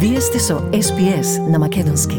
Вие сте со SPS на македонски.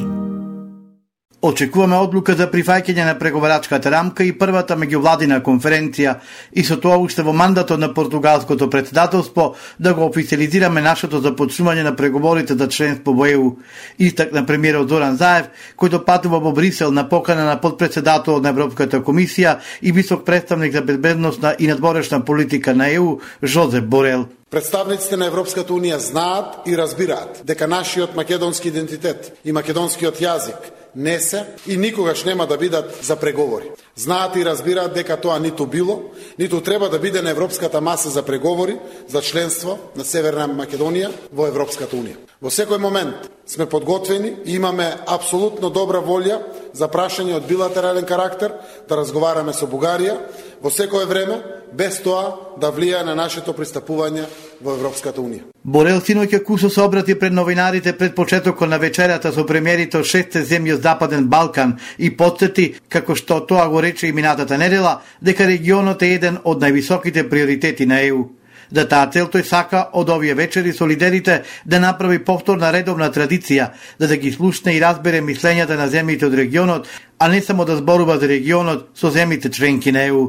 Очекуваме одлука за прифаќање на преговарачката рамка и првата меѓувладина конференција и со тоа уште во мандатот на португалското претседателство да го официализираме нашето започнување на преговорите за членство во ЕУ, истакна премиерот Зоран Заев, кој патува во Брисел на покана на подпредседателот на Европската комисија и висок представник за безбедносна и надворешна политика на ЕУ Жозеп Борел. Представниците на Европската Унија знаат и разбираат дека нашиот македонски идентитет и македонскиот јазик не се и никогаш нема да бидат за преговори. Знаат и разбираат дека тоа ниту било, ниту треба да биде на европската маса за преговори за членство на Северна Македонија во Европската Унија. Во секој момент сме подготвени и имаме апсолутно добра волја за прашање од билатерален карактер да разговараме со Бугарија во секое време, без тоа да влијае на нашето пристапување во Европската Унија. Борел синоќа кусо се обрати пред новинарите пред почетокот на вечерата со премиерите од 6 земји од Западен Балкан и потсети, како што тоа го рече и минатата недела, дека регионот е еден од највисоките приоритети на ЕУ. За таа цел тој сака од овие вечери со лидерите да направи повторна редовна традиција, да ги слушне и разбере мислењата на земјите од регионот, а не само да зборува за регионот со земјите членки на ЕУ.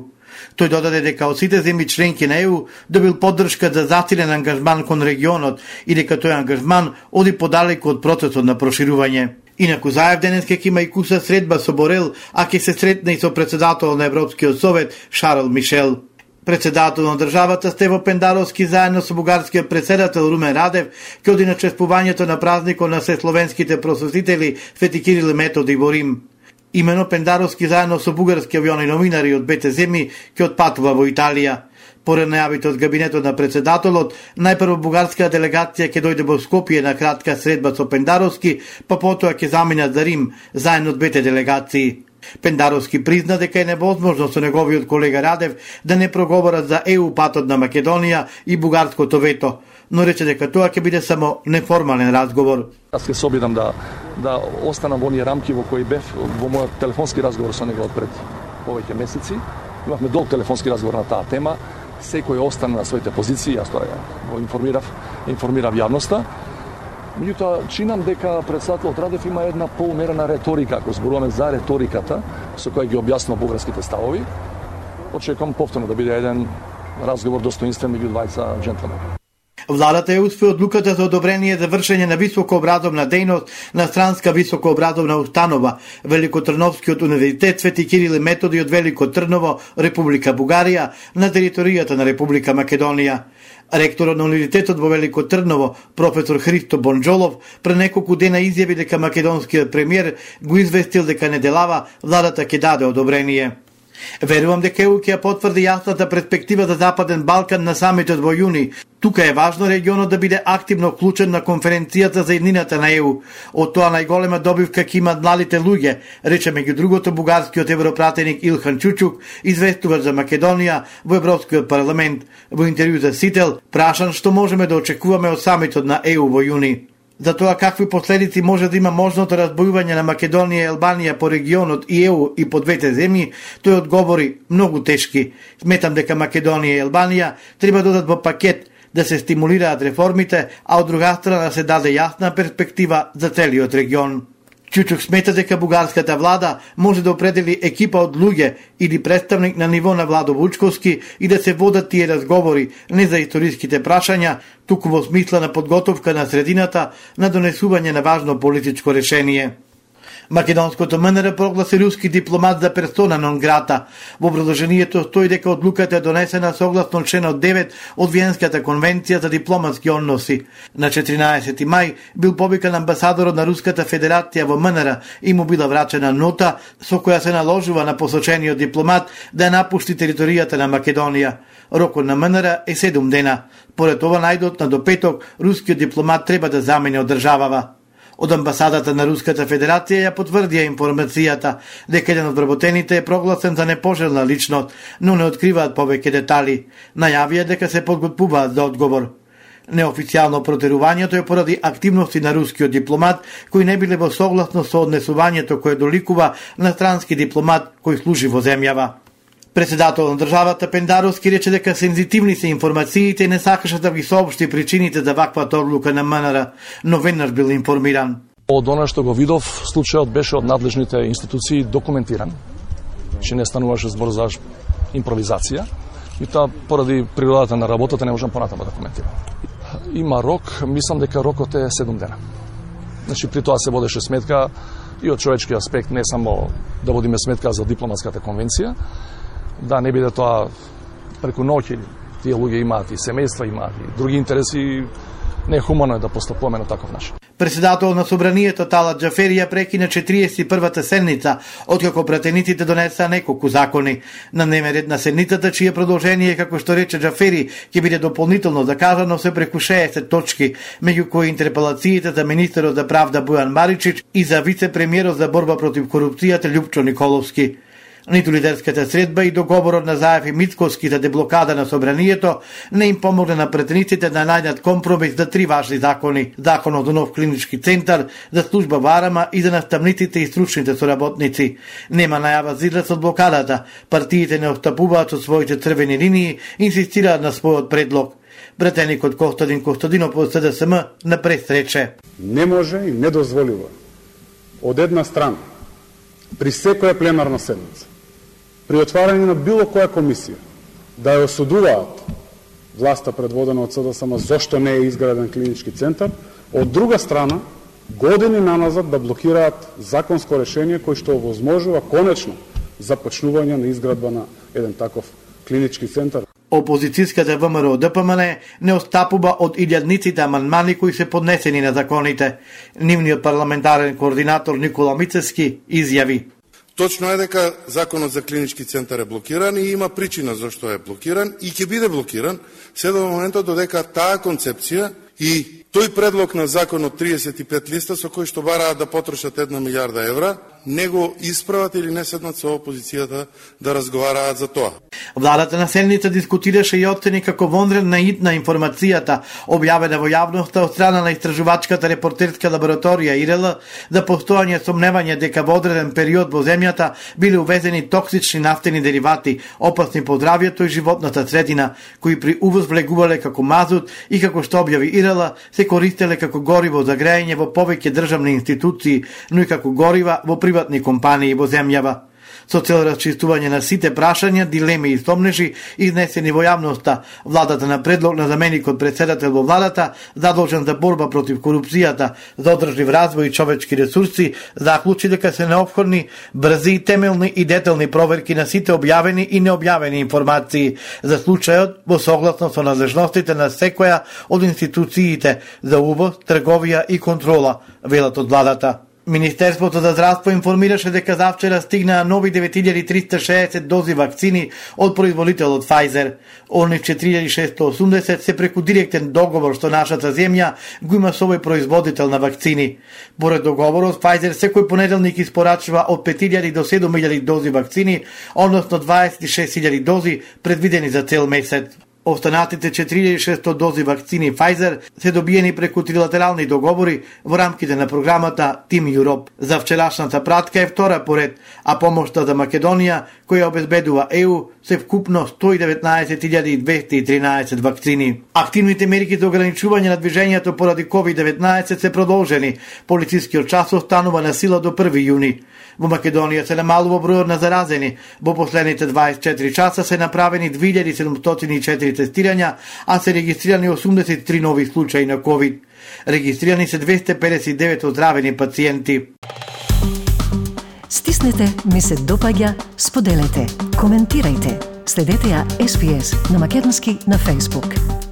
Тој додаде дека од сите земји членки на ЕУ добил поддршка за засилен ангажман кон регионот и дека тој ангажман оди подалеку од процесот на проширување. Инаку Заев денес ќе има и куса средба со Борел, а ќе се сретне и со председателот на Европскиот совет Шарл Мишел. Председател на државата Стево Пендаровски заедно со бугарскиот председател Румен Радев ќе оди на чествувањето на празникот на сесловенските просветители Свети Кирил и Методи во Рим. Имено Пендаровски заедно со бугарски авиони новинари од двете земји ќе отпатува во Италија. Поред најавите од кабинетот на председателот, најпрво бугарска делегација ќе дојде во Скопје на кратка средба со Пендаровски, па потоа ќе заминат за Рим заедно двете делегации. Пендаровски призна дека е невозможно со неговиот колега Радев да не проговорат за ЕУ патот на Македонија и бугарското вето, но рече дека тоа ќе биде само неформален разговор. Јас ќе се обидам да останам во оние рамки во кои бев во мојот телефонски разговор со него пред повеќе месеци. Имавме долг телефонски разговор на таа тема. Секој остана на своите позиции, јас тоа го информирав јавноста. Меѓутоа, чинам дека председателот Радев има една поумерена реторика, ако зборуваме за реториката со која ги објаснува бугарските ставови. Очекувам повторно да биде еден разговор достоинствен меѓу двајца џентлмени. Владата е успе одлуката за одобрение за вршење на високообразовна дејност на странска високообразовна установа Великотрновскиот универзитет Свети Кирил и Методи од Велико Трново, Република Бугарија, на територијата на Република Македонија. Ректорот на универзитетот во Велико Трново, професор Христо Бонџолов, пред неколку дена изјави дека македонскиот премиер го известил дека неделава владата ќе даде одобрение. Верувам дека ЕУ ќе потврди јасната перспектива за Западен Балкан на самитот во јуни. Тука е важно регионот да биде активно вклучен на конференцијата за еднината на ЕУ. Од тоа најголема добивка ќе имат младите луѓе, рече меѓу другото бугарскиот европратеник Илхан Чучук, известуваш за Македонија во Европскиот парламент. Во интервју за Сител, прашан што можеме да очекуваме од самитот на ЕУ во јуни. За тоа какви последици може да има можното разбојување на Македонија и Албанија по регионот и ЕУ и по двете земји, тој одговори многу тешки. Сметам дека Македонија и Албанија треба да додат во пакет да се стимулираат реформите, а од друга страна се даде јасна перспектива за целиот регион. Чучук смета дека бугарската влада може да определи екипа од луѓе или представник на ниво на Владо Вучковски и да се водат тие разговори не за историските прашања, туку во смисла на подготовка на средината на донесување на важно политичко решение. Македонското МНР прогласи руски дипломат за персона нон грата. Во продолжението стои дека одлуката е донесена согласно членот 9 од Виенската конвенција за дипломатски односи. На 14 мај бил повикан амбасадорот на Руската Федерација во МНР и му била врачена нота со која се наложува на посочениот дипломат да напушти територијата на Македонија. Рокот на МНР е 7 дена. Поред ова најдотна до петок рускиот дипломат треба да замине од државава. Од амбасадата на Руската Федерација ја потврдија информацијата дека еден од вработените е прогласен за непожелна личност, но не откриваат повеќе детали. Најавија дека се подготвуваат за одговор. Неофицијално протерувањето е поради активности на рускиот дипломат кои не биле во согласно со однесувањето кое доликува на странски дипломат кој служи во земјава. Председател на државата Пендаровски рече дека сензитивни се информациите и не сакаше да ги соопшти причините за ваквата одлука на МНР, но веднаш бил информиран. Од она што го видов, случајот беше од надлежните институции документиран, че не стануваше збор за импровизација, и тоа поради природата на работата не можам понатаму да коментирам. Има рок, мислам дека рокот е 7 дена. Значи, при тоа се водеше сметка и од човечки аспект, не само да водиме сметка за дипломатската конвенција, да не биде тоа преку ноќ, тие луѓе имаат и семејства, имаат и други интереси, не е хумано да постапуваме на таков начин. Председател на собранието Талат Џафери ја прекина 41-та седница, откако пратениците донесаа неколку закони. На дневен ред на седницата, чие продолжение, како што рече Џафери, ќе биде дополнително закажано се преку 60 точки, меѓу кои интерпелациите за министерот за правда Бојан Маричич и за вице-премиерот за борба против корупцијата Љупчо Николовски. Ниту лидерската средба и договорот на Заев и Мицковски за деблокада на собранието не им помогне на претениците да најдат компромис за 3 важни закони. Законот за нов клинички центар, за служба во Арама и за наставниците и стручните соработници. Нема најава за излез од блокадата. Партиите не отстапуваат со своите црвени линии и инсистираат на својот предлог. Пратеникот Костадин Костадинов од СДСМ на пресрече. Не може и не дозволива од една страна при секоја пленарна седница, при отварање на било која комисија, да ја осудуваат власта предводена од СДСМ зошто не е изграден клинички центар, од друга страна, години наназад да блокираат законско решение кој што овозможува конечно започнување на изградба на еден таков клинички центар. Опозицијската ВМРО ДПМН не остапува од илјадниците амандмани кои се поднесени на законите. Нивниот парламентарен координатор Никола Мицевски изјави: Точно е дека законот за клинички центар е блокиран и има причина зашто е блокиран и ќе биде блокиран се до моментот додека таа концепција и тој предлог на закон од 35 листа со кој што бараат да потрошат 1 милиарда евра, не го исправат или не седнат со опозицијата да разговараат за тоа. Владата на седница дискутираше и оцени како вонреден наид на информацијата објавена во јавноста од страна на истражувачката репортерска лабораторија ИРЛ за постојање сомневање дека во одреден период во земјата биле увезени токсични нафтени деривати, опасни по здравјето и животната средина, кои при увоз влегувале како мазут и како што објави ИРЛ се користеле како гориво за грејење во повеќе државни институции, но и како горива во приватни компании во земјава. Со цел расчистување на сите прашања, дилеми и сомнежи изнесени во јавноста, владата на предлог на заменикот председател во владата, задолжен за борба против корупцијата, за одржлив развој и човечки ресурси, заклучи дека се неопходни брзи, темелни и детални проверки на сите објавени и необјавени информации за случајот во согласно со надлежностите на секоја од институциите за увоз, трговија и контрола, велат од владата. Министерството за здравство информираше дека завчера стигнаа нови 9360 дози вакцини од производителот Pfizer. Оних 4680 се преку директен договор што нашата земја го има со овој производител на вакцини. Поред договорот, Pfizer секој понеделник испорачува од 5000 до 7000 дози вакцини, односно 26000 дози предвидени за цел месец. Останатите 4600 дози вакцини Pfizer се добиени преку трилатерални договори во рамките на програмата Team Europe. За вчерашната пратка е втора поред, а помошта за Македонија, која обезбедува ЕУ, се вкупно 119.213 вакцини. Активните мерки за ограничување на движењето поради COVID-19 се продолжени. Полицискиот час останува на сила до 1 јуни. Во Македонија се намалува бројот на заразени. Во последните 24 часа се направени 2704 тестирања, а се регистрирани 83 нови случаи на COVID. Регистрирани се 259 оздравени пациенти. Стиснете, ми се допаѓа, споделете, коментирајте. Следете ја SPS на Македонски на Facebook.